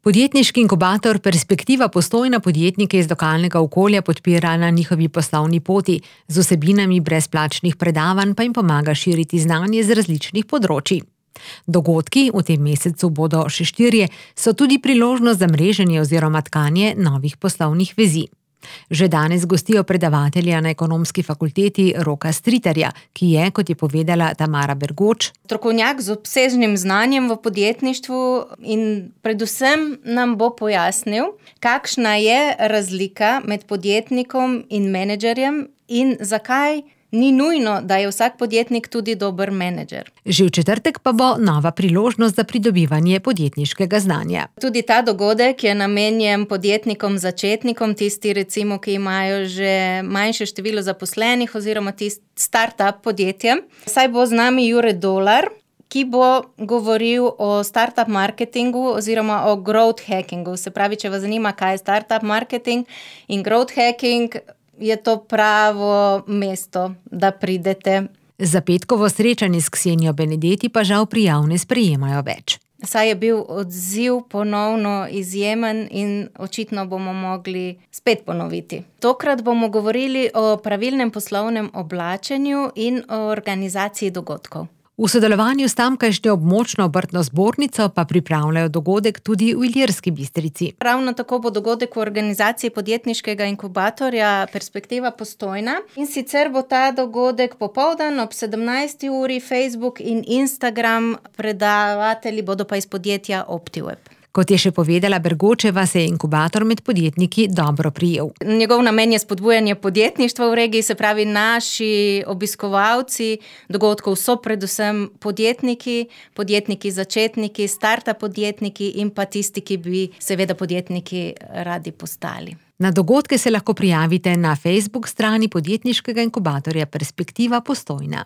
Podjetniški inkubator Perspektiva Postojna podjetnike iz lokalnega okolja podpira na njihovi poslovni poti, z vsebinami brezplačnih predavanj pa jim pomaga širiti znanje z različnih področij. Dogodki, v tem mesecu bodo še 4, so tudi priložnost za mreženje oziroma tkanje novih poslovnih vezi. Že danes gostijo predavatelja na Ekonomski fakulteti Roka Stritarja, ki je, kot je povedala Tamara Bergoč, strokovnjak z obsežnim znanjem v podjetništvu in predvsem nam bo pojasnil, kakšna je razlika med podjetnikom in menedžerjem in zakaj ni nujno, da je vsak podjetnik tudi dober menedžer. Že v četrtek pa bo nova priložnost za pridobivanje podjetniškega znanja. Tudi ta dogodek je namenjen podjetnikom, začetnikom, tisti recimo, ki imajo že manjše število zaposlenih oziroma tisti start-up podjetjem. Saj bo z nami Jure Dolar, ki bo govoril o startup marketingu oziroma o growth hackingu. Se pravi, če vas zanima, kaj je startup marketing in growth hacking, je to pravo mesto, da pridete. Za petkovo srečanje s Ksenijo Benedetti pa žal prijav ne sprejemajo več. Saj je bil odziv ponovno izjemen in očitno bomo mogli spet ponoviti. Tokrat bomo govorili o pravilnem poslovnem oblačenju in o organizaciji dogodkov. V sodelovanju s tamkajšnjo območno obrtno zbornico pa pripravljajo dogodek tudi v Ilirski Bistrici. Ravno tako bo dogodek v organizaciji podjetniškega inkubatorja Perspektiva Postojna. In sicer bo ta dogodek popoldan ob 17. uri, Facebook in Instagram, predavatelji bodo pa iz podjetja OptiWeb. Kot je še povedala Bergočeva, se je inkubator med podjetniki dobro prijel. Njegov namen je spodbujanje podjetništva v regiji, se pravi, naši obiskovalci dogodkov so predvsem podjetniki začetniki, startup podjetniki in pa tisti, ki bi seveda podjetniki radi postali. Na dogodke se lahko prijavite na Facebook strani podjetniškega inkubatorja Perspektiva Postojna.